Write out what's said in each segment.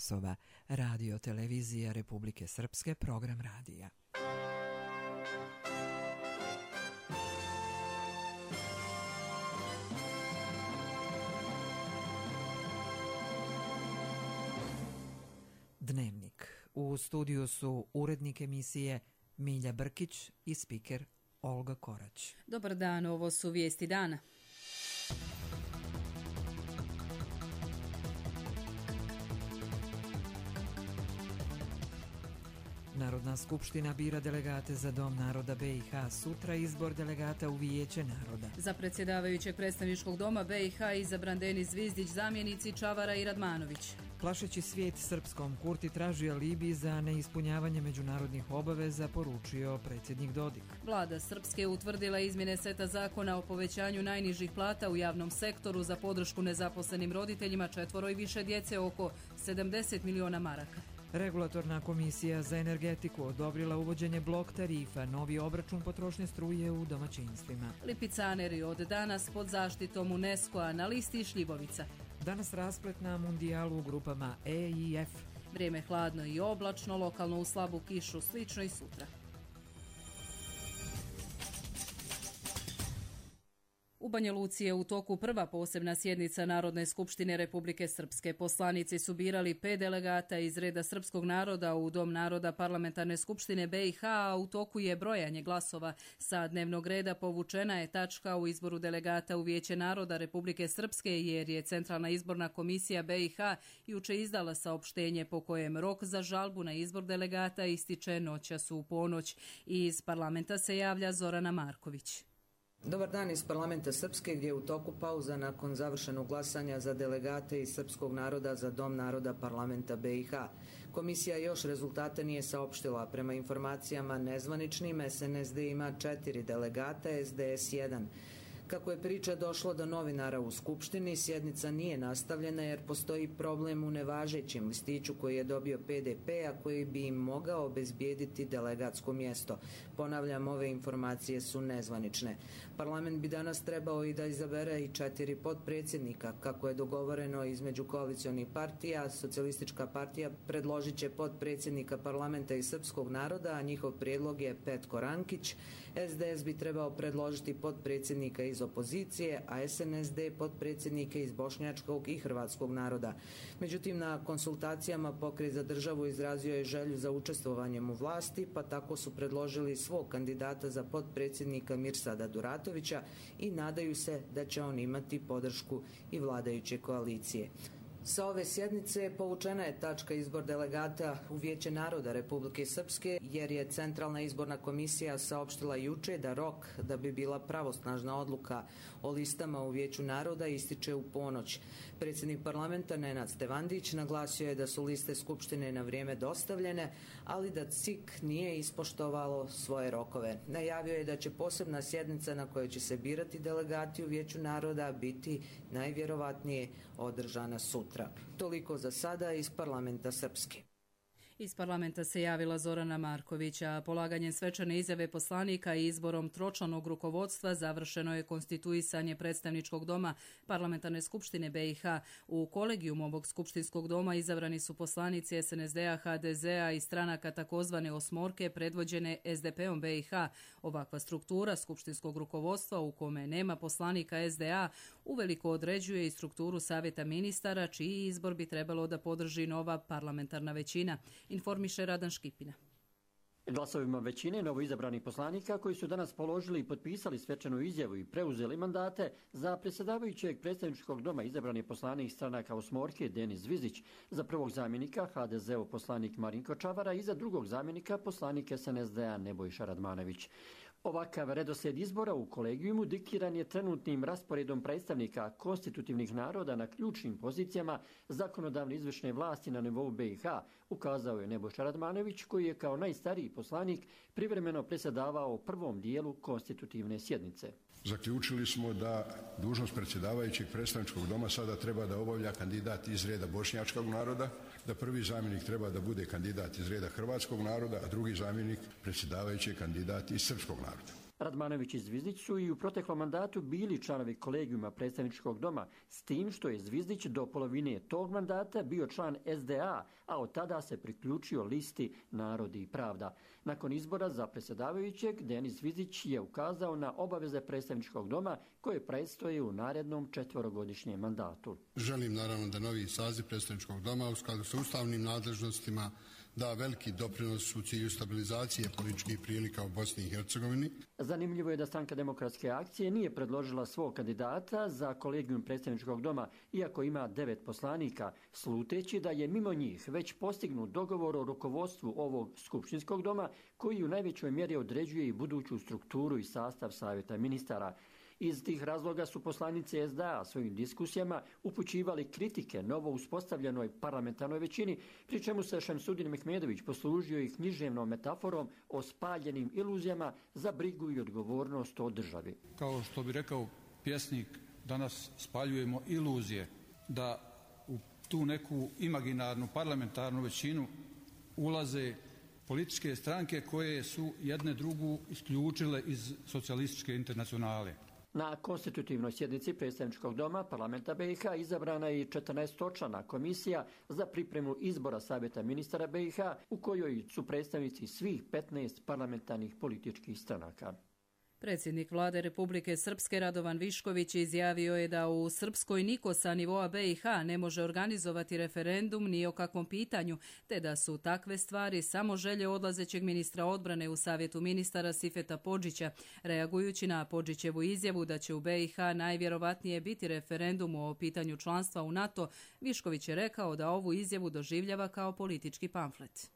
časova. Radio televizija Republike Srpske, program radija. Dnevnik. U studiju su urednik emisije Milja Brkić i spiker Olga Korać. Dobar dan, ovo su vijesti dana. Narodna skupština bira delegate za Dom naroda BiH, sutra izbor delegata u Vijeće naroda. Za predsjedavajućeg predstavničkog doma BiH izabran Denis Zvizdić, zamjenici Čavara i Radmanović. Plašeći svijet srpskom, Kurti traži alibi za neispunjavanje međunarodnih obaveza, poručio predsjednik Dodik. Vlada Srpske utvrdila izmjene seta zakona o povećanju najnižih plata u javnom sektoru za podršku nezaposlenim roditeljima, 4 i više djece, oko 70 miliona maraka. Regulatorna komisija za energetiku odobrila uvođenje blok tarifa, novi obračun potrošnje struje u domaćinstvima. Lipicaneri od danas pod zaštitom UNESCO-a na listi šljivovica. Danas rasplet na mundijalu u grupama E i F. Vrijeme hladno i oblačno, lokalno u slabu kišu, slično i sutra. U Banja Luci je u toku prva posebna sjednica Narodne skupštine Republike Srpske. Poslanici su birali 5 delegata iz reda srpskog naroda u Dom naroda Parlamentarne skupštine BiH, a u toku je brojanje glasova. Sa dnevnog reda povučena je tačka u izboru delegata u Vijeće naroda Republike Srpske, jer je Centralna izborna komisija BiH juče izdala saopštenje po kojem rok za žalbu na izbor delegata ističe noćas u ponoć. Iz parlamenta se javlja Zorana Marković. Dobar dan iz parlamenta Srpske, gdje je u toku pauza nakon završenog glasanja za delegate iz srpskog naroda za Dom naroda parlamenta BiH. Komisija još rezultate nije saopštila. Prema informacijama nezvaničnim, SNSD ima 4 delegata, SDS 1. Kako je priča došlo do novinara u Skupštini, sjednica nije nastavljena jer postoji problem u nevažećem listiću koji je dobio PDP, a koji bi im mogao obezbijediti delegatsko mjesto. Ponavljam, ove informacije su nezvanične. Parlament bi danas trebao i da izabere i 4 potpredsjednika. Kako je dogovoreno između koalicionih partija, Socijalistička partija predložit će potpredsjednika parlamenta iz srpskog naroda, a njihov prijedlog je Petko Rankić. SDS bi trebao predložiti potpredsjednika iz opozicije, a SNSD potpredsjednike iz bošnjačkog i hrvatskog naroda. Međutim, na konsultacijama Pokret za državu izrazio je želju za učestvovanjem u vlasti, pa tako su predložili svog kandidata za potpredsjednika Mirsada Duratovića i nadaju se da će on imati podršku i vladajuće koalicije. Sa ove sjednice povučena je tačka izbor delegata u Vijeće naroda Republike Srpske, jer je Centralna izborna komisija saopštila juče da rok da bi bila pravosnažna odluka o listama u Vijeću naroda ističe u ponoć. Predsjednik parlamenta Nenad Stevandić naglasio je da su liste Skupštine na vrijeme dostavljene, ali da CIK nije ispoštovalo svoje rokove. Najavio je da će posebna sjednica na kojoj će se birati delegati u Vijeću naroda biti najvjerovatnije održana sutra. Toliko za sada iz parlamenta Srpske. Iz parlamenta se javila Zorana Marković, a polaganjem svečane izjave poslanika i izborom tročlanog rukovodstva završeno je konstituisanje predstavničkog doma Parlamentarne skupštine BiH. U kolegijum ovog skupštinskog doma izabrani su poslanici SNSD-a, HDZ-a i stranaka takozvane osmorke predvođene SDP-om BiH. Ovakva struktura skupštinskog rukovodstva u kome nema poslanika SDA uveliko određuje i strukturu savjeta ministara, čiji izbor bi trebalo da podrži nova parlamentarna većina, informiše Radan Škipina. Glasovima većine novoizabranih poslanika koji su danas položili i potpisali svečanu izjavu i preuzeli mandate, za predsjedavajućeg predstavničkog doma izabran je poslanik stranaka osmorke Denis Zvizdić, za prvog zamjenika HDZ-ov poslanik Marinko Čavara i za drugog zamjenika poslanik SNSD-a Nebojša Radmanović. Ovakav redoslijed izbora u kolegijumu diktiran je trenutnim rasporedom predstavnika konstitutivnih naroda na ključnim pozicijama zakonodavne izvršne vlasti na nivou BiH, ukazao je Nebojša Radmanović, koji je kao najstariji poslanik privremeno predsjedavao prvom dijelu konstitutivne sjednice. Zaključili smo da dužnost predsjedavajućeg predstavničkog doma sada treba da obavlja kandidat iz reda bošnjačkog naroda, da prvi zamjenik treba da bude kandidat iz reda hrvatskog naroda, a drugi zamjenik predsjedavajući kandidat iz srpskog naroda. Radmanović i Zvizdić su i u proteklom mandatu bili članovi kolegijuma predstavničkog doma, s tim što je Zvizdić do polovine tog mandata bio član SDA, a od tada se priključio listi Narod i pravda. Nakon izbora za predsjedavajućeg, Denis Zvizdić je ukazao na obaveze predstavničkog doma koje predstoje u narednom 4-godišnjem mandatu. Želim naravno da novi saziv predstavničkog doma u skladu sa ustavnim nadležnostima da veliki doprinos u cilju stabilizacije političkih prilika u Bosni i Hercegovini. Zanimljivo je da Stranka demokratske akcije nije predložila svog kandidata za kolegijum predstavničkog doma, iako ima 9 poslanika, sluteći da je mimo njih već postignut dogovor o rukovodstvu ovog skupštinskog doma, koji u najvećoj mjeri određuje i buduću strukturu i sastav savjeta ministara. Iz tih razloga su poslanici SDA svojim diskusijama upućivali kritike novo uspostavljenoj parlamentarnoj većini, pri čemu se Šemsudin Mehmedović poslužio i književnom metaforom o spaljenim iluzijama za brigu i odgovornost o državi. Kao što bi rekao pjesnik, danas spaljujemo iluzije da u tu neku imaginarnu parlamentarnu većinu ulaze političke stranke koje su jedne drugu isključile iz socijalističke internacionale. Na konstitutivnoj sjednici predstavničkog doma parlamenta BiH izabrana je i 14-člana komisija za pripremu izbora savjeta ministara BiH, u kojoj su predstavnici svih 15 parlamentarnih političkih stranaka. Predsjednik vlade Republike Srpske Radovan Višković izjavio je da u Srpskoj niko sa nivoa BiH ne može organizovati referendum ni o kakvom pitanju, te da su takve stvari samo želje odlazećeg ministra odbrane u savjetu ministara Sifeta Podžića. Reagujući na Podžićevu izjavu da će u BiH najvjerovatnije biti referendum o pitanju članstva u NATO, Višković je rekao da ovu izjavu doživljava kao politički pamflet.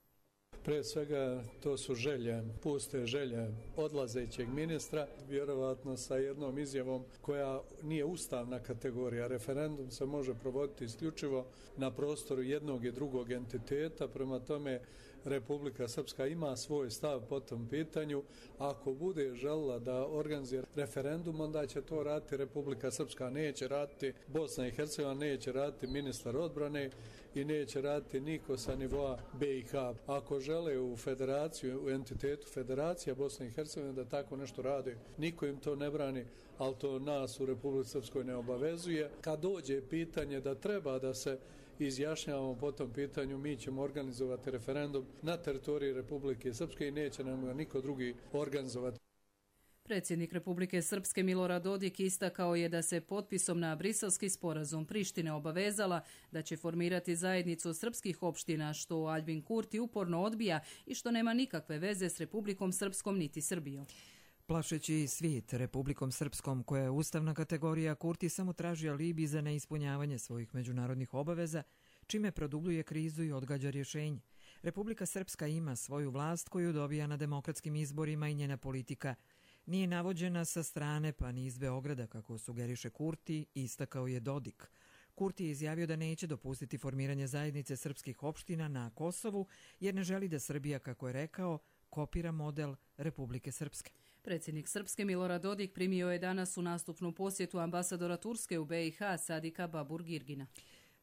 Prije svega to su želje, puste želje odlazećeg ministra, vjerovatno sa jednom izjavom koja nije ustavna kategorija. Referendum se može provoditi isključivo na prostoru jednog i drugog entiteta, prema tome Republika Srpska ima svoj stav po tom pitanju. Ako bude željela da organizira referendum, onda će to raditi Republika Srpska, neće raditi Bosna i Hercegovina, neće raditi ministar odbrane i neće raditi niko sa nivoa BiH. Ako žele u federaciju, u entitetu federacija Bosne i Hercegovine da tako nešto rade, niko im to ne brani, ali to nas u Republici Srpskoj ne obavezuje. Kad dođe pitanje da treba da se izjašnjavamo po tom pitanju, mi ćemo organizovati referendum na teritoriji Republike Srpske i neće nam ga niko drugi organizovati. Predsjednik Republike Srpske Milorad Dodik istakao je da se potpisom na Briselski sporazum Prištine obavezala da će formirati zajednicu srpskih opština, što Aljbin Kurti uporno odbija i što nema nikakve veze s Republikom Srpskom niti Srbijom. Plašeći svijet Republikom Srpskom, koja je ustavna kategorija, Kurti samo traži alibi za neispunjavanje svojih međunarodnih obaveza, čime produbljuje krizu i odgađa rješenje. Republika Srpska ima svoju vlast koju dobija na demokratskim izborima i njena politika nije navođena sa strane pa ni iz Beograda, kako sugeriše Kurti, istakao je Dodik. Kurti je izjavio da neće dopustiti formiranje zajednice srpskih opština na Kosovu, jer ne želi da Srbija, kako je rekao, kopira model Republike Srpske. Predsjednik Srpske Milorad Dodik primio je danas u nastupnu posjetu ambasadora Turske u BiH Sadika Babur-Girgina.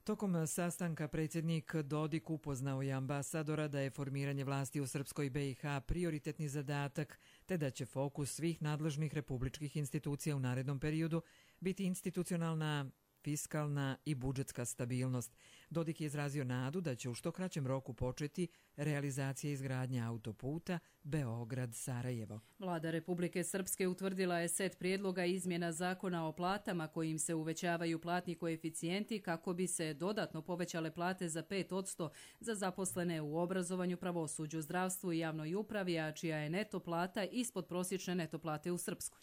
Tokom sastanka predsjednik Dodik upoznao je ambasadora da je formiranje vlasti u Srpskoj BiH prioritetni zadatak, te da će fokus svih nadležnih republičkih institucija u narednom periodu biti institucionalna, fiskalna i budžetska stabilnost. Dodik je izrazio nadu da će u što kraćem roku početi realizacija izgradnje autoputa Beograd-Sarajevo. Vlada Republike Srpske utvrdila je set prijedloga izmjena zakona o platama kojim se uvećavaju platni koeficijenti kako bi se dodatno povećale plate za 5% za zaposlene u obrazovanju, pravosuđu, zdravstvu i javnoj upravi, a čija je neto plata ispod prosječne neto plate u Srpskoj.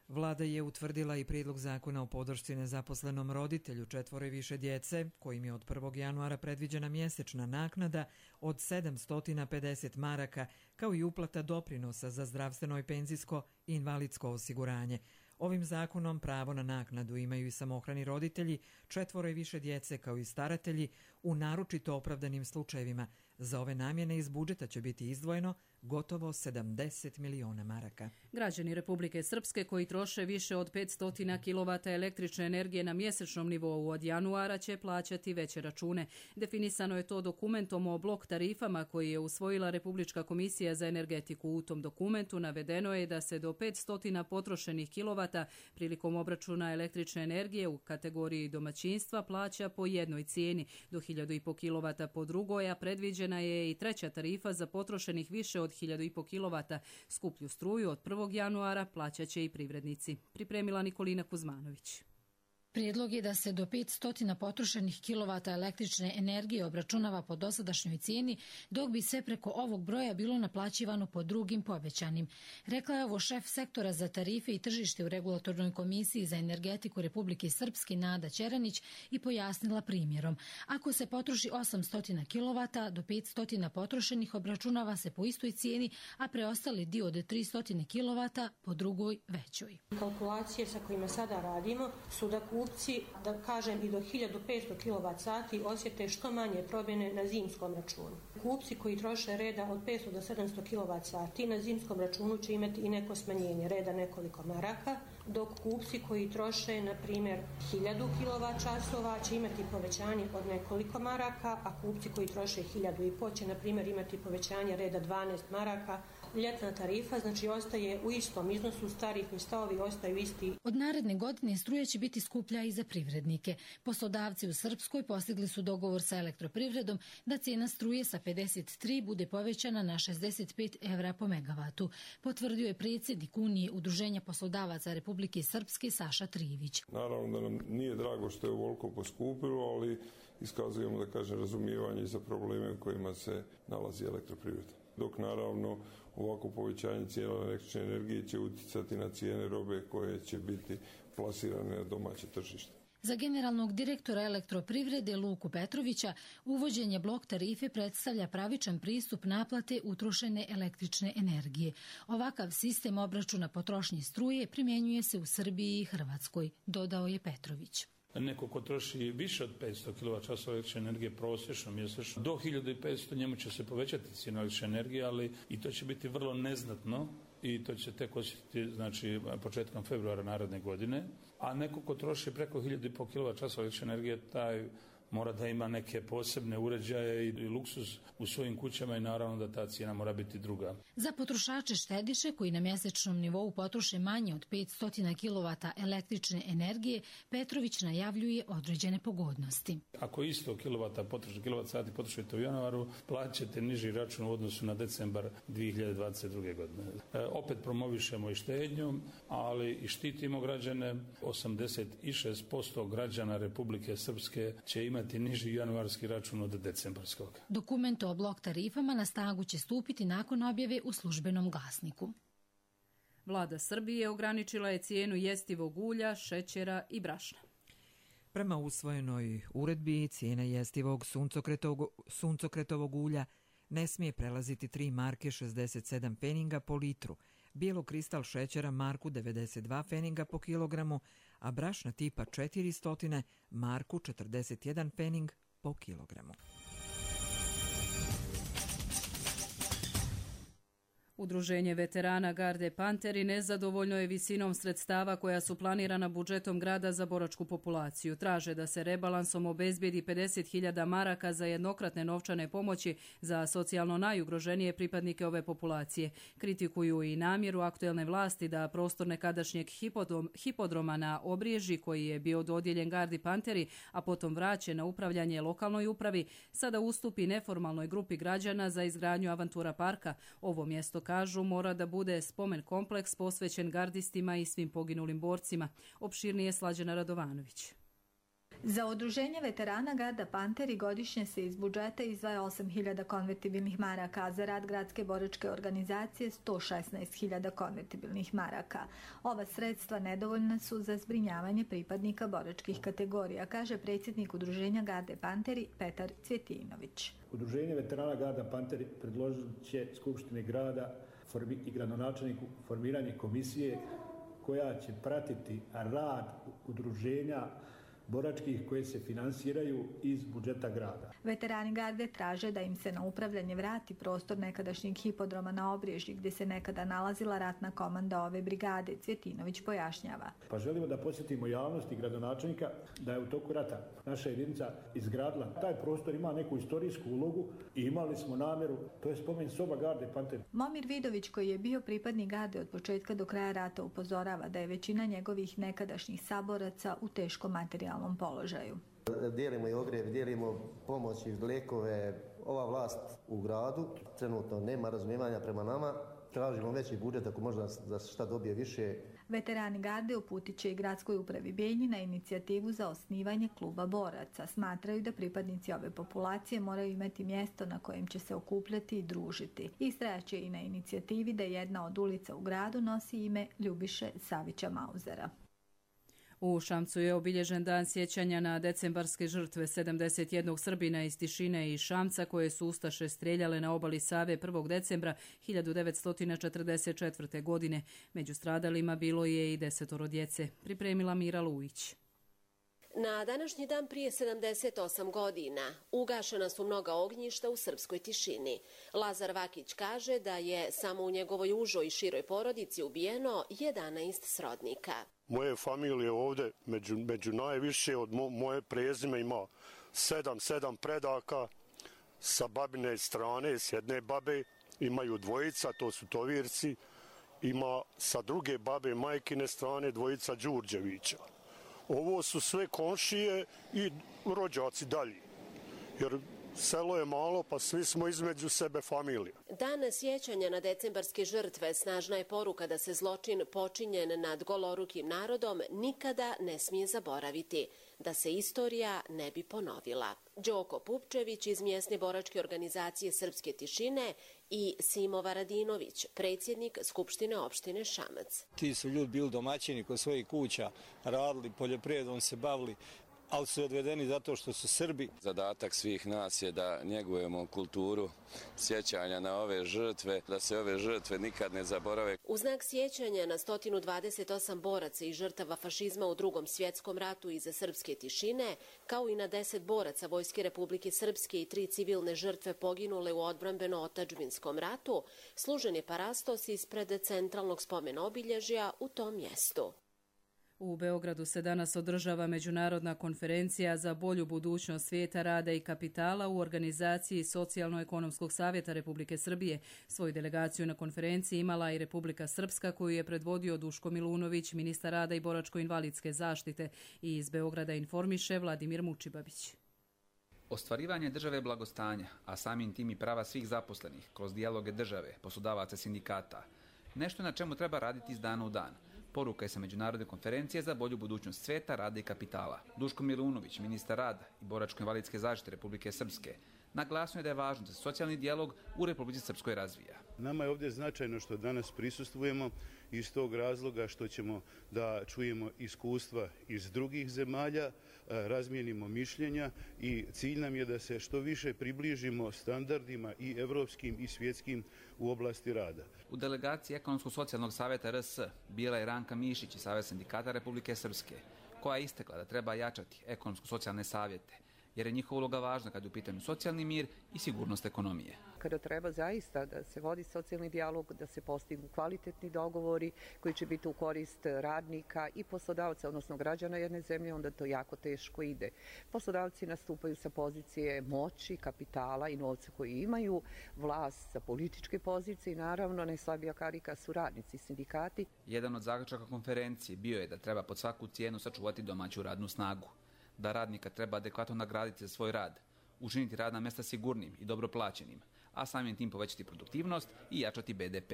Vlada je utvrdila i prijedlog zakona o podršci nezaposlenom roditelju 4 i više djece, kojim je od 1. januara predviđena mjesečna naknada od 750 maraka, kao i uplata doprinosa za zdravstveno i penzijsko i invalidsko osiguranje. Ovim zakonom pravo na naknadu imaju i samohrani roditelji, 4 i više djece kao i staratelji u naročito opravdanim slučajevima. Za ove namjene iz budžeta će biti izdvojeno gotovo 70 miliona maraka. Građani Republike Srpske koji troše više od 500 kW električne energije na mjesečnom nivou od januara će plaćati veće račune. Definisano je to dokumentom o blok tarifama koji je usvojila Republička komisija za energetiku. U tom dokumentu navedeno je da se do 500 potrošenih kilovata prilikom obračuna električne energije u kategoriji domaćinstva plaća po jednoj cijeni, do 1500 kW po drugoj, a predviđena je i treća tarifa za potrošenih više od 1500 kW. Skuplju struju od 1. januara plaćat će i privrednici. Pripremila Nikolina Kuzmanović. Prijedlog je da se do 500 potrošenih kilovata električne energije obračunava po dosadašnjoj cijeni, dok bi sve preko ovog broja bilo naplaćivano po drugim povećanim. Rekla je ovo šef sektora za tarife i tržište u Regulatornoj komisiji za energetiku Republike Srpske Nada Ćeranić i pojasnila primjerom. Ako se potroši 800 kilovata, do 500 potrošenih obračunava se po istoj cijeni, a preostali dio od 300 kilovata po drugoj većoj. Kalkulacije sa kojima sada radimo su da kupci, da kažem i do 1500 kWh osjete što manje promjene na zimskom računu. Kupci koji troše reda od 500 do 700 kWh na zimskom računu će imati i neko smanjenje reda nekoliko maraka, dok kupci koji troše, na primjer, 1000 kWh će imati povećanje od nekoliko maraka, a kupci koji troše 1500 će, na primjer, imati povećanje reda 12 maraka. Ljetna tarifa, znači, ostaje u istom iznosu, tarifni stavovi ostaju isti. Od naredne godine struja će biti skuplja i za privrednike. Poslodavci u Srpskoj postigli su dogovor sa Elektroprivredom da cijena struje sa 53 bude povećana na 65 evra po megavatu. Potvrdio je predsjednik Unije Udruženja poslodavaca Republike Srpske Saša Trijević. Naravno da nam nije drago što je ovoliko poskupilo, ali iskazujemo, da kažem, razumijevanje za probleme u kojima se nalazi Elektroprivreda. Dok naravno ovako povećanje cijena električne energije će utjecati na cijene robe koje će biti plasirane na domaće tržište. Za generalnog direktora Elektroprivrede Luku Petrovića uvođenje blok tarife predstavlja pravičan pristup naplate utrošene električne energije. Ovakav sistem obračuna potrošnje struje primjenjuje se u Srbiji i Hrvatskoj, dodao je Petrović. Neko ko troši više od 500 kWh električne energije prosječno mjesečno, do 1500 njemu će se povećati cijena električne energije, ali i to će biti vrlo neznatno i to će tek osjetiti, znači, početkom februara naredne godine. A neko ko troši preko 1500 kWh električne energije, taj mora da ima neke posebne uređaje i luksuz u svojim kućama i naravno da ta cijena mora biti druga. Za potrošače štediše koji na mjesečnom nivou potroše manje od 500 kW električne energije, Petrović najavljuje određene pogodnosti. Ako isto kWh potrošite u januaru, plaćate niži račun u odnosu na decembar 2022. godine. Opet promovišemo i štednju, ali i štitimo građane. 86% građana Republike Srpske će imati niži januarski račun od decembarskog. Dokument o blok tarifama na snagu će stupiti nakon objave u službenom glasniku. Vlada Srbije ograničila je cijenu jestivog ulja, šećera i brašna. Prema usvojenoj uredbi, cijena jestivog suncokretovog ulja ne smije prelaziti 3 marke 67 pfeninga po litru, bijelokristal šećera marku 92 pfeninga po kilogramu, a brašna tipa 400 marku 41 pfening po kilogramu. Udruženje veterana Garde Panteri nezadovoljno je visinom sredstava koja su planirana budžetom grada za boračku populaciju. Traže da se rebalansom obezbijedi 50.000 maraka za jednokratne novčane pomoći za socijalno najugroženije pripadnike ove populacije. Kritikuju i namjeru aktuelne vlasti da prostor nekadašnjeg hipodroma na Obriježi, koji je bio dodijeljen Gardi Panteri, a potom vraćen na upravljanje lokalnoj upravi, sada ustupi neformalnoj grupi građana za izgradnju Avantura parka. Ovo mjesto, kažu, mora da bude spomen kompleks posvećen gardistima i svim poginulim borcima. Opširnije Slađana Radovanović. Za udruženje veterana Garda Panteri godišnje se iz budžeta izdvaja 8.000 konvertibilnih maraka, a za rad gradske boračke organizacije 116.000 konvertibilnih maraka. Ova sredstva nedovoljna su za zbrinjavanje pripadnika boračkih kategorija, kaže predsjednik udruženja Garde Panteri Petar Cvjetinović. Udruženje veterana Garda Panteri predložit će Skupštini grada i gradonačelniku formiranje komisije koja će pratiti rad udruženja boračkih koje se finansiraju iz budžeta grada. Veterani garde traže da im se na upravljanje vrati prostor nekadašnjeg hipodroma na Obrježji gdje se nekada nalazila ratna komanda ove brigade, Cvjetinović pojašnjava. Pa želimo da podsjetimo javnost i gradonačelnika da je u toku rata naša jedinica izgradila. Taj prostor ima neku istorijsku ulogu i imali smo namjeru, to je spomen soba garde Panter. Momir Vidović, koji je bio pripadnik garde od početka do kraja rata, upozorava da je većina njegovih nekadašnjih saboraca u teškom materijalnom položaju. Dijelimo i ogrjev, dijelimo pomoć i lijekove. Ova vlast u gradu trenutno nema razumijevanja prema nama. Tražimo veći budžet ako možda za šta dobije više. Veterani garde uputit će i gradskoj upravi Bijeljina na inicijativu za osnivanje kluba boraca. Smatraju da pripadnici ove populacije moraju imati mjesto na kojem će se okupljati i družiti. Istrajaće i na inicijativi da jedna od ulica u gradu nosi ime Ljubiše Savića Mauzera. U Šamcu je obilježen dan sjećanja na decembarske žrtve 71 Srbina iz Tišine i Šamca koje su ustaše strijeljale na obali Save 1. decembra 1944. godine. Među stradalima bilo je i 10 djece. Pripremila Mira Lujić. Na današnji dan prije 78 godina ugašena su mnoga ognjišta u srpskoj Tišini. Lazar Vakić kaže da je samo u njegovoj užoj i široj porodici ubijeno 11 srodnika. Moje familije ovdje među najviše od moje prezime ima 7 predaka sa babine strane, s jedne babe imaju dvojica, to su Tovirci, ima sa druge babe majkine strane dvojica Đurđevića. Ovo su sve komšije i rođaci dalji, jer selo je malo pa svi smo između sebe familija. Dan sjećanja na decembarske žrtve snažna je poruka da se zločin počinjen nad golorukim narodom nikada ne smije zaboraviti, da se istorija ne bi ponovila. Đoko Pupčević iz mjesne boračke organizacije Srpske Tišine i Simo Varadinović, predsjednik Skupštine opštine Šamac. Ti su ljudi bili domaćini kod svojih kuća, radili, poljoprivredom se bavili, ali su odvedeni zato što su Srbi. Zadatak svih nas je da njegujemo kulturu sjećanja na ove žrtve, da se ove žrtve nikad ne zaborave. U znak sjećanja na 128 boraca i žrtava fašizma u Drugom svjetskom ratu iza Srpske Tišine, kao i na 10 boraca Vojske Republike Srpske i 3 civilne žrtve poginule u odbrambeno-otadžbinskom ratu, služen je parastos ispred centralnog spomen obilježja u tom mjestu. U Beogradu se danas održava međunarodna konferencija za bolju budućnost svijeta, rada i kapitala u organizaciji Socijalno-ekonomskog savjeta Republike Srbije. Svoju delegaciju na konferenciji imala i Republika Srpska, koju je predvodio Duško Milunović, ministar rada i boračko-invalidske zaštite. I iz Beograda informiše Vladimir Mučibabić. Ostvarivanje države blagostanja, a samim tim i prava svih zaposlenih kroz dijaloge države, poslodavaca, sindikata, nešto na čemu treba raditi iz dana u dan. Poruka je sa međunarodne konferencije za bolju budućnost svijeta, rada i kapitala. Duško Milunović, ministar rada i boračko-invalidske zaštite Republike Srpske, naglasio je da je važno da se socijalni dijalog u Republici Srpskoj razvija. Nama je ovdje značajno što danas prisustvujemo iz tog razloga što ćemo da čujemo iskustva iz drugih zemalja, razmijenimo mišljenja i cilj nam je da se što više približimo standardima i evropskim i svjetskim u oblasti rada. U delegaciji Ekonomsko-socijalnog savjeta RS bila je Ranka Mišić iz Saveza sindikata Republike Srpske, koja je istakla da treba jačati ekonomsko-socijalne savjete, jer je njihova uloga važna kad je u pitanju socijalni mir i sigurnost ekonomije. Kada treba zaista da se vodi socijalni dijalog, da se postignu kvalitetni dogovori koji će biti u korist radnika i poslodavca, odnosno građana jedne zemlje, onda to jako teško ide. Poslodavci nastupaju sa pozicije moći, kapitala i novca koji imaju, vlast sa političke pozicije i naravno najslabija karika su radnici, sindikati. Jedan od zaključaka konferencije bio je da treba pod svaku cijenu sačuvati domaću radnu snagu, da radnika treba adekvatno nagraditi za svoj rad, učiniti radna mjesta sigurnim i dobro plaćenim, a samim tim povećati produktivnost i jačati BDP.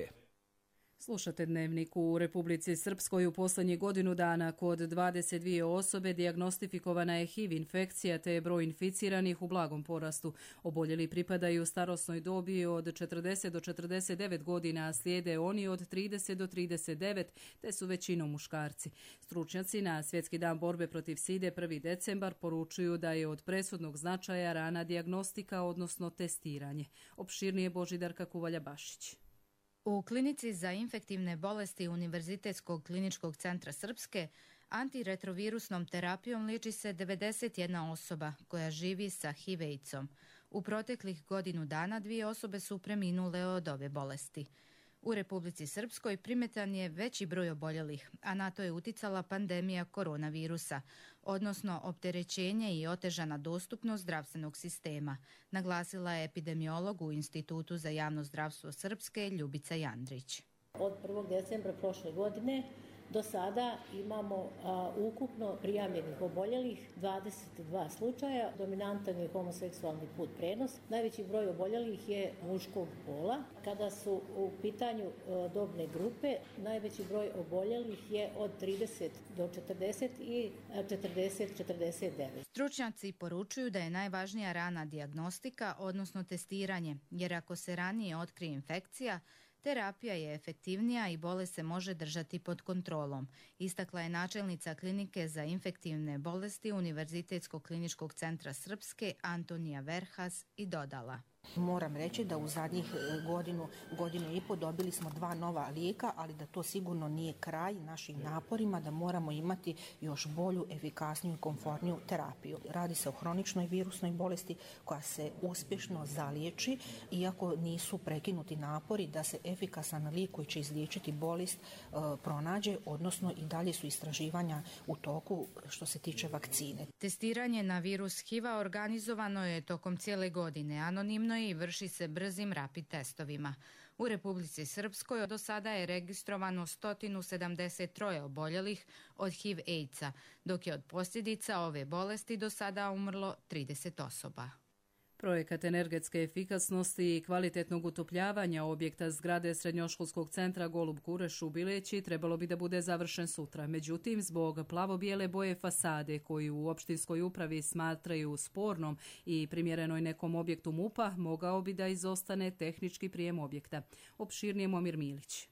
Slušate Dnevnik. U Republici Srpskoj u posljednjih godinu dana kod 22 osobe dijagnostifikovana je HIV infekcija te je broj inficiranih u blagom porastu. Oboljeli pripadaju starosnoj dobi od 40 do 49 godina, a slijede oni od 30 do 39, te su većinom muškarci. Stručnjaci na Svjetski dan borbe protiv side 1. decembar poručuju da je od presudnog značaja rana dijagnostika, odnosno testiranje. Opširnije Božidarka Kuvalja-Bašić. U klinici za infektivne bolesti Univerzitetskog kliničkog centra Srpske antiretrovirusnom terapijom liječi se 91 osoba koja živi sa HIV-AIDS-om. U proteklih godinu dana 2 osobe su preminule od ove bolesti. U Republici Srpskoj primetan je veći broj oboljelih, a na to je uticala pandemija koronavirusa, odnosno opterećenje i otežana dostupnost zdravstvenog sistema, naglasila je epidemiolog u Institutu za javno zdravstvo Srpske Ljubica Jandrić. Od 1. decembra prošle godine do sada imamo ukupno prijavljenih oboljelih 22 slučaja. Dominantan je homoseksualni put prenos. Najveći broj oboljelih je muškog pola. Kada su u pitanju dobne grupe, najveći broj oboljelih je od 30 do 40 i 40-49. Stručnjaci poručuju da je najvažnija rana dijagnostika, odnosno testiranje, jer ako se ranije otkrije infekcija, terapija je efektivnija i bolest se može držati pod kontrolom, istakla je načelnica klinike za infektivne bolesti Univerzitetskog kliničkog centra Srpske Antonija Verhas i dodala. Moram reći da u zadnjih godinu i pol dobili smo 2 nova lijeka, ali da to sigurno nije kraj našim naporima, da moramo imati još bolju, efikasniju i komfortniju terapiju. Radi se o hroničnoj virusnoj bolesti koja se uspješno zaliječi, iako nisu prekinuti napori da se efikasan lijek koji će izliječiti bolest pronađe, odnosno i dalje su istraživanja u toku što se tiče vakcine. Testiranje na virus HIV-a organizovano je tokom cijele godine, anonimno i vrši se brzim rapid testovima. U Republici Srpskoj do sada je registrovano 173 oboljelih od HIV-AIDS-a, dok je od posljedica ove bolesti do sada umrlo 30 osoba. Projekat energetske efikasnosti i kvalitetnog utopljavanja objekta zgrade Srednjoškolskog centra Golub Kureš u Bileći trebalo bi da bude završen sutra. Međutim, zbog plavo-bijele boje fasade koju u opštinskoj upravi smatraju spornom i primjerenoj nekom objektu MUP-a, mogao bi da izostane tehnički prijem objekta. Opširnije Momir Milić.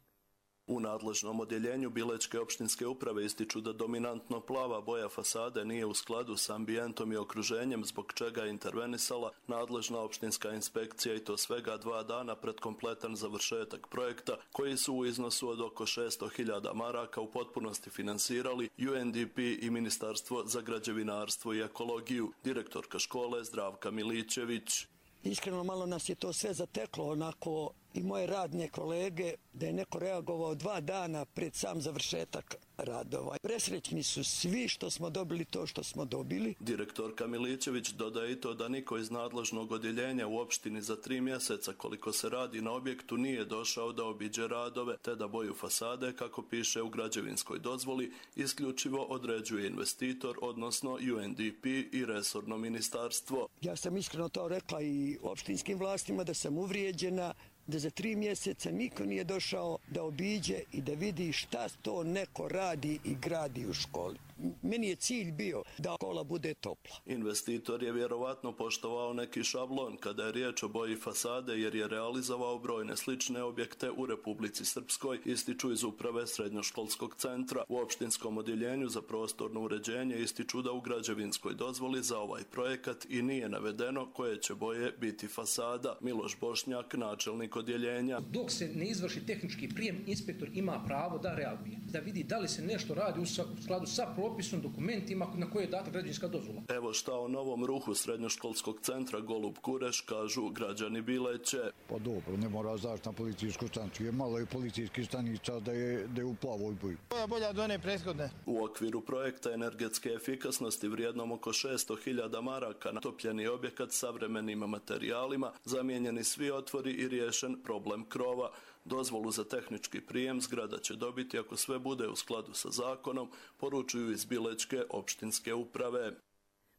U nadležnom odjeljenju Bilečke opštinske uprave ističu da dominantno plava boja fasade nije u skladu s ambijentom i okruženjem, zbog čega je intervenisala nadležna opštinska inspekcija i to svega 2 dana pred kompletan završetak projekta, koji su u iznosu od oko 600.000 maraka u potpunosti finansirali UNDP i Ministarstvo za građevinarstvo i ekologiju. Direktorka škole Zdravka Milićević. Iskreno malo nas je to sve zateklo, onako i moje radne kolege, da je neko reagovao 2 dana pred sam završetak radova. Presrećni su svi što smo dobili to što smo dobili. Direktorka Milićević dodaje i to da niko iz nadležnog odjeljenja u opštini za 3 mjeseca koliko se radi na objektu nije došao da obiđe radove, te da boju fasade, kako piše u građevinskoj dozvoli, isključivo određuje investitor, odnosno UNDP i resorno ministarstvo. Ja sam iskreno to rekla i opštinskim vlastima da sam uvrijeđena, da za 3 mjeseca niko nije došao da obiđe i da vidi šta to neko radi i gradi u školi. Meni je cilj bio da škola bude topla. Investitor je vjerovatno poštovao neki šablon kada je riječ o boji fasade, jer je realizovao brojne slične objekte u Republici Srpskoj, ističu iz uprave Srednjoškolskog centra. U opštinskom odjeljenju za prostorno uređenje ističu da u građevinskoj dozvoli za ovaj projekat i nije navedeno koje će boje biti fasada. Miloš Bošnjak, načelnik odjeljenja. Dok se ne izvrši tehnički prijem, inspektor ima pravo da reaguje, da vidi da li se nešto radi u skladu sa propisom, dokumentima na koje je data građevinska dozvola. Evo šta o novom ruhu Srednjoškolskog centra Golub Kureš kažu građani Bileće. Pa dobro, ne mora zaštiti na policijsku stanicu, je malo i policijskih stanica da je u plavoj boji. Bolja do one prethodne. U okviru projekta energetske efikasnosti vrijednom oko 600.000 maraka natopljeni objekat savremenim materijalima, zamijenjeni svi otvori i riješen problem krova. Dozvolu za tehnički prijem zgrada će dobiti ako sve bude u skladu sa zakonom, poručuju iz Bilečke opštinske uprave.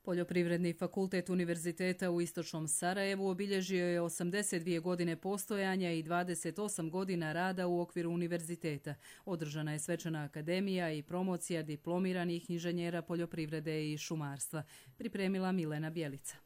Poljoprivredni fakultet Univerziteta u Istočnom Sarajevu obilježio je 82 godine postojanja i 28 godina rada u okviru univerziteta. Održana je svečana akademija i promocija diplomiranih inženjera poljoprivrede i šumarstva. Pripremila Milena Bjelica.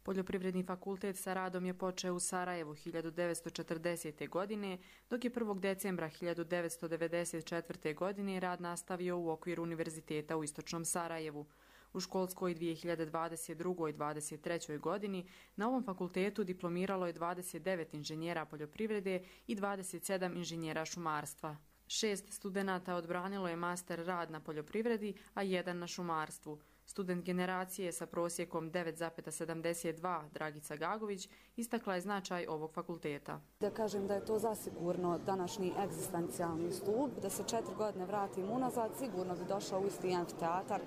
Poljoprivredni fakultet sa radom je počeo u Sarajevu 1940. godine, dok je 1. decembra 1994. godine rad nastavio u okviru Univerziteta u Istočnom Sarajevu. U školskoj 2022-2023. godini na ovom fakultetu diplomiralo je 29 inženjera poljoprivrede i 27 inženjera šumarstva. 6 studenata odbranilo je master rad na poljoprivredi, a 1 na šumarstvu. Student generacije sa prosjekom 9,72 Dragica Gagović istakla je značaj ovog fakulteta. Da kažem da je to zasigurno današnji egzistencijalni stup, da se 4 godine vratim unazad, sigurno bi došao u isti amfiteatar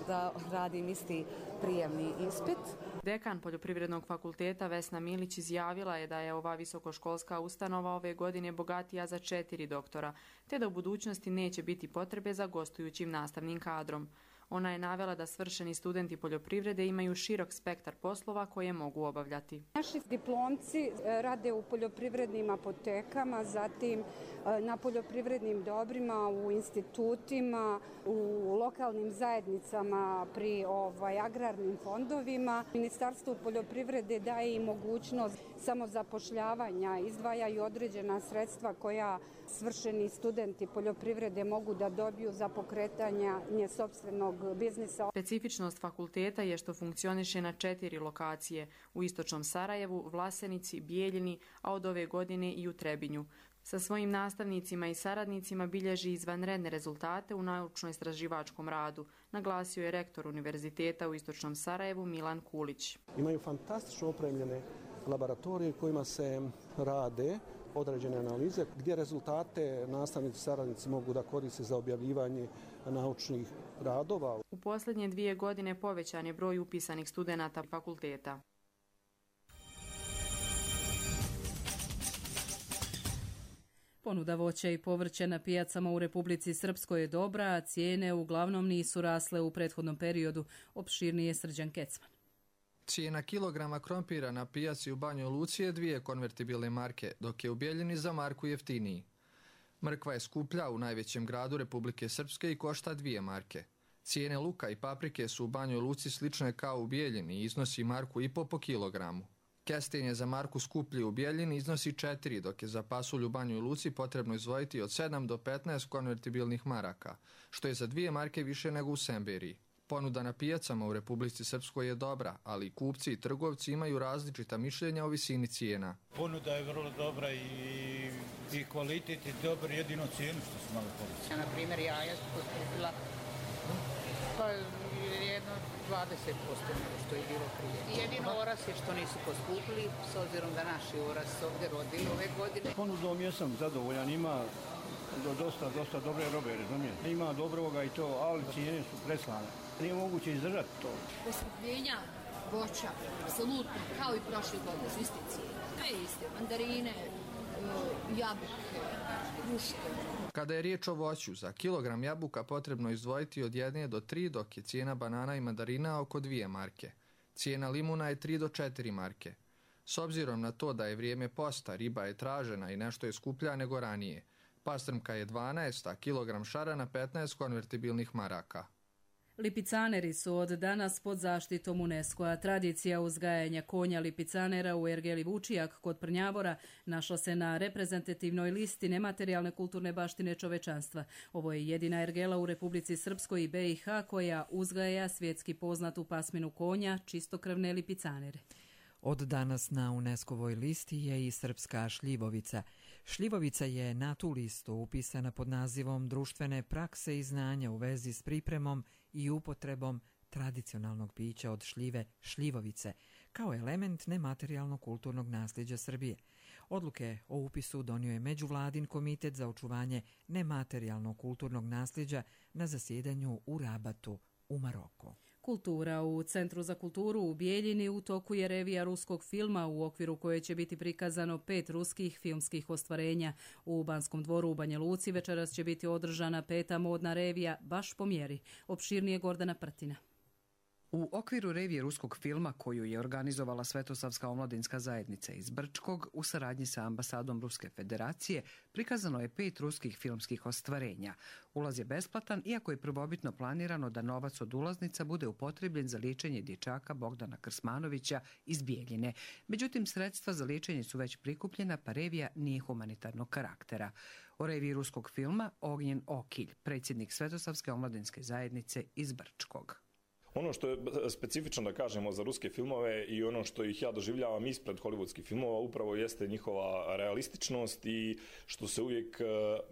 da radim isti prijemni ispit. Dekan Poljoprivrednog fakulteta Vesna Milić izjavila je da je ova visokoškolska ustanova ove godine bogatija za 4 doktora, te da u budućnosti neće biti potrebe za gostujućim nastavnim kadrom. Ona je navela da svršeni studenti poljoprivrede imaju širok spektar poslova koje mogu obavljati. Naši diplomci rade u poljoprivrednim apotekama, zatim na poljoprivrednim dobrima, u institutima, u lokalnim zajednicama, pri agrarnim fondovima. Ministarstvo poljoprivrede daje i mogućnost samozapošljavanja, izdvajaju određena sredstva koja svršeni studenti poljoprivrede mogu da dobiju za pokretanje sopstvenog biznisa. Specifičnost fakulteta je što funkcioniše na 4 lokacije, u istočnom Sarajevu, Vlasenici, Bijeljini, a od ove godine i u Trebinju. Sa svojim nastavnicima i saradnicima bilježi izvanredne rezultate u naučno-istraživačkom radu, naglasio je rektor Univerziteta u istočnom Sarajevu Milan Kulić. Imaju fantastično opremljene laboratorije kojima se rade određene analize gdje rezultate nastavnici i saradnici mogu da koriste za objavljivanje naučnih radova. U posljednje 2 godine povećan je broj upisanih studenata fakulteta. Ponuda voća i povrća na pijacama u Republici Srpskoj je dobra, a cijene uglavnom nisu rasle u prethodnom periodu. Opširnije Srđan Kecman. Cijena kilograma krompira na pijaci u Banjoj Luci je 2 konvertibilne marke, dok je u Bijeljini za marku jeftiniji. Mrkva je skuplja u najvećem gradu Republike Srpske i košta 2 marke. Cijene luka i paprike su u Banjoj Luci slične kao u Bijeljini i iznosi 1,5 marku po kilogramu. Kesten je za marku skuplji u Bijeljini, iznosi 4, dok je za pasulj u Banjoj Luci potrebno izdvojiti od 7 do 15 konvertibilnih maraka, što je za 2 marke više nego u Semberiji. Ponuda na pijacama u Republici Srpskoj je dobra, ali kupci i trgovci imaju različita mišljenja o visini cijena. Ponuda je vrlo dobra i kvalitet je dobar, jedino cijenu što su malo povećali. Na primjer, jaja su poskupila jedno 20% nego što je bilo prije. Jedino oras je što nisu poskupili, s obzirom da naši oras ovdje rodili ove godine. Ponudom jesam zadovoljan, ima dosta dobre robe, razumijete. Ima dobroga i to, ali cijene su preslane. Nije moguće izdržati to. Poskupljenja voća, apsolutno, kao i prošle godine, su iste cijene. Sve iste, mandarine, jabuke, kruške. Kada je riječ o voću, za kilogram jabuka potrebno izdvojiti od 1 do 3, dok je cijena banana i mandarina oko 2 marke. Cijena limuna je 3 do 4 marke. S obzirom na to da je vrijeme posta, riba je tražena i nešto je skuplja nego ranije. Pastrmka je 12, a kilogram šarana 15 konvertibilnih maraka. Lipicaneri su od danas pod zaštitom UNESCO-a. Tradicija uzgajanja konja lipicanera u ergeli Vučijak kod Prnjavora našla se na reprezentativnoj listi nematerijalne kulturne baštine čovečanstva. Ovo je jedina ergela u Republici Srpskoj i BiH koja uzgaja svjetski poznatu pasminu konja, čistokrvne lipicanere. Od danas na UNESCO-voj listi je i srpska šljivovica. Šljivovica je na tu listu upisana pod nazivom društvene prakse i znanja u vezi s pripremom i upotrebom tradicionalnog pića od šljive šljivovice, kao element nematerijalnog kulturnog nasljeđa Srbije. Odluke o upisu donio je Međuvladin komitet za očuvanje nematerijalnog kulturnog nasljeđa na zasjedanju u Rabatu u Maroku. Kultura. U Centru za kulturu u Bijeljini u toku je revija ruskog filma u okviru koje će biti prikazano 5 ruskih filmskih ostvarenja. U Banskom dvoru u Banja Luci večeras će biti održana 5. modna revija baš po mjeri. Opširnije Gordana Prtina. U okviru revije ruskog filma koju je organizovala Svetosavska omladinska zajednica iz Brčkog u saradnji sa ambasadom Ruske federacije prikazano je 5 ruskih filmskih ostvarenja. Ulaz je besplatan, iako je prvobitno planirano da novac od ulaznica bude upotrebljen za liječenje dječaka Bogdana Krsmanovića iz Bijeljine. Međutim, sredstva za liječenje su već prikupljena, pa revija nije humanitarnog karaktera. O reviji ruskog filma Ognjen Okilj, predsjednik Svetosavske omladinske zajednice iz Brčkog. Ono što je specifično da kažemo za ruske filmove i ono što ih ja doživljavam ispred hollywoodskih filmova upravo jeste njihova realističnost i što se uvijek,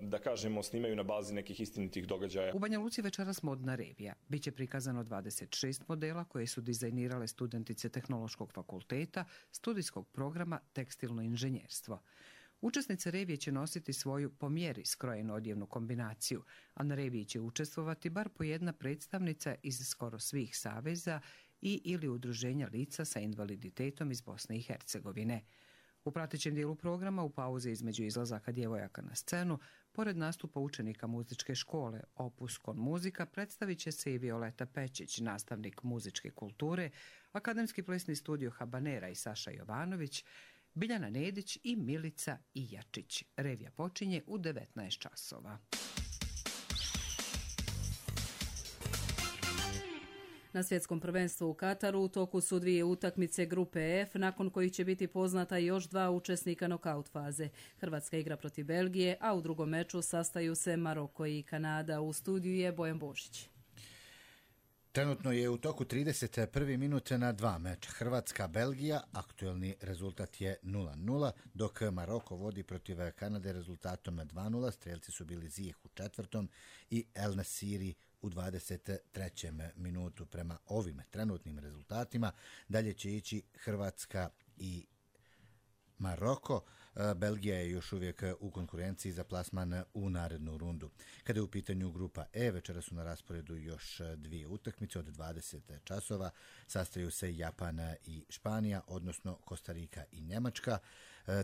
da kažemo, snimaju na bazi nekih istinitih događaja. U Banja Luci večeras modna revija. Biće prikazano 26 modela koje su dizajnirale studentice Tehnološkog fakulteta, studijskog programa Tekstilno inženjerstvo. Učesnice revije će nositi svoju po mjeri skrojenu odjevnu kombinaciju, a na reviji će učestvovati bar po jedna predstavnica iz skoro svih saveza i ili udruženja lica sa invaliditetom iz Bosne i Hercegovine. U pratećem dijelu programa, u pauzi između izlazaka djevojaka na scenu, pored nastupa učenika muzičke škole Opus Con Muzika, predstavit će se i Violeta Pečić, nastavnik muzičke kulture, akademski plesni studio Habanera i Saša Jovanović, Biljana Nedić i Milica Ijačić. Revija počinje u 19 časova. Na svjetskom prvenstvu u Kataru u toku su 2 utakmice grupe F, nakon kojih će biti poznata još 2 učesnika nokaut faze. Hrvatska igra protiv Belgije, a u drugom meču sastaju se Maroko i Kanada. U studiju je Bojan Božić. Trenutno je u toku 31. minute na 2 meča. Hrvatska-Belgija, aktuelni rezultat je 0-0, dok Maroko vodi protiv Kanade rezultatom 2-0. Strelci su bili Zijeh u 4. i El Nasiri u 23. minutu. Prema ovim trenutnim rezultatima dalje će ići Hrvatska i Maroko. Belgija je još uvijek u konkurenciji za plasman u narednu rundu. Kada je u pitanju grupa E, večera su na rasporedu još 2 utakmice od 20 časova. Sastaju se Japan i Španija, odnosno Kostarika i Njemačka.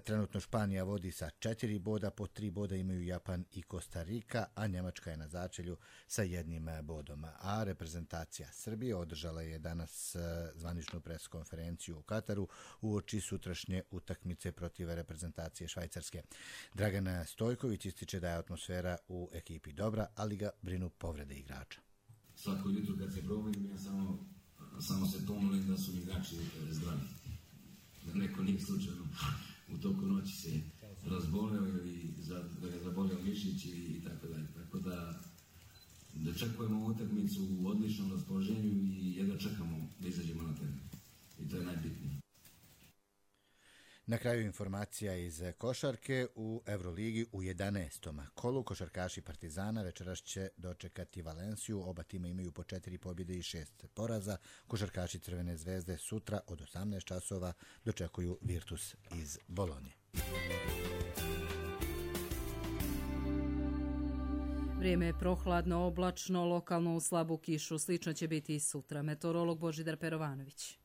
Trenutno Španija vodi sa 4 boda, po 3 boda imaju Japan i Kostarika, a Njemačka je na začelju sa 1 bodom. A reprezentacija Srbije održala je danas zvaničnu preskonferenciju u Kataru uoči sutrašnje utakmice protiv reprezentacije Švajcarske. Dragan Stojković ističe da je atmosfera u ekipi dobra, ali ga brinu povrede igrača. Svako jutro kad se probudim, ja samo se pomolim da su igrači zdravi. Da neko nije slučajno u toku noći se razboleo ili da ga zaboleo mišić i tako dalje. Tako da čekujemo utakmicu u odličnom raspoloženju i jedva čekamo da izađemo na teren. I to je najbitnije. Na kraju informacija iz košarke. U Euroligi u 11. kolu košarkaši Partizana večeras će dočekati Valenciju. Oba tima imaju po 4 pobjede i 6 poraza. Košarkaši Crvene zvezde sutra od 18 časova dočekuju Virtus iz Bolonje. Vrijeme je prohladno, oblačno, lokalno u slabu kišu. Slično će biti i sutra. Meteorolog Božidar Perovanović.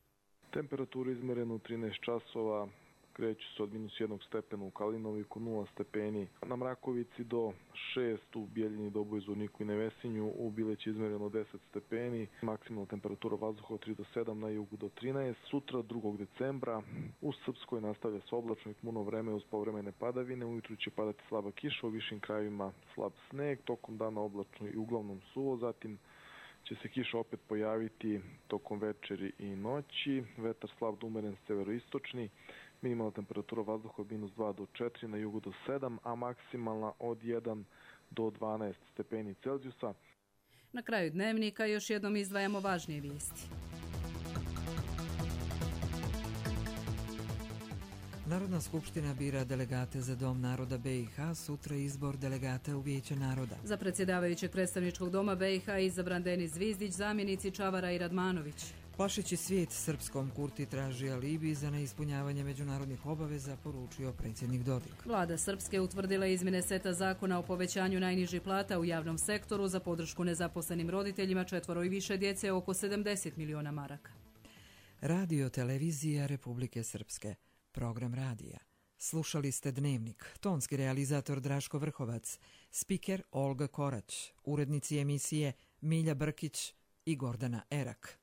Temperatura izmerena u 13 časova. Kreću se od -1 stepena u Kalinoviku, 0 stepeni na Mrakovici do 6 u Bijeljini, Doboju, Zvorniku i Nevesinju, u Bileći izmereno 10 stepeni, maksimalna temperatura vazduha od 3 do 7, na jugu do 13. Sutra 2. decembra u Srpskoj nastavlja se oblačno i tmuno vreme uz povremene padavine, ujutru će padati slaba kiša, u višim krajevima slab sneg, tokom dana oblačno i uglavnom suvo, zatim će se kiša opet pojaviti tokom večeri i noći, vetar slab do umeren severoistočni, minimalna temperatura vazduha od -2 do 4, na jugu do 7, a maksimalna od 1 do 12 stepeni Celzijusa. Na kraju dnevnika još jednom izdvajamo važnije vijesti. Narodna skupština bira delegate za Dom naroda BiH, sutra izbor delegata u Vijeće naroda. Za predsjedavajućeg predstavničkog doma BiH izabran Denis Zvizdić, zamjenici Čavara i Radmanović. Plašeći svijet srpskom, Kurti traži alibi za neispunjavanje međunarodnih obaveza, poručio predsjednik Dodik. Vlada Srpske utvrdila izmjene seta zakona o povećanju najnižih plata u javnom sektoru za podršku nezaposlenim roditeljima 4 i više djece, oko 70 miliona maraka. Radio televizija Republike Srpske. Program radija. Slušali ste Dnevnik. Tonski realizator Draško Vrhovac. Spiker Olga Korać. Urednici emisije Milja Brkić i Gordana Erak.